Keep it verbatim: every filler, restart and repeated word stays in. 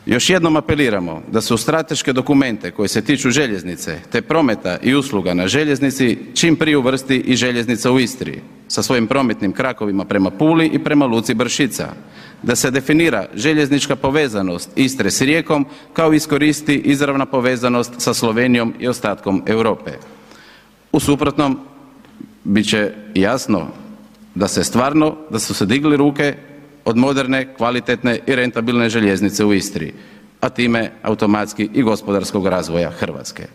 Još jednom apeliramo da se u strateške dokumente koji se tiču željeznice te prometa i usluga na željeznici čim prije uvrsti i željeznica u Istri sa svojim prometnim krakovima prema Puli i prema luci Bršica, da se definira željeznička povezanost Istre s Rijekom kao i iskoristi izravna povezanost sa Slovenijom i ostatkom Europe. U suprotnom, bit će jasno da se stvarno, da su se digli ruke od moderne, kvalitetne i rentabilne željeznice u Istri, a time automatski i gospodarskog razvoja Hrvatske.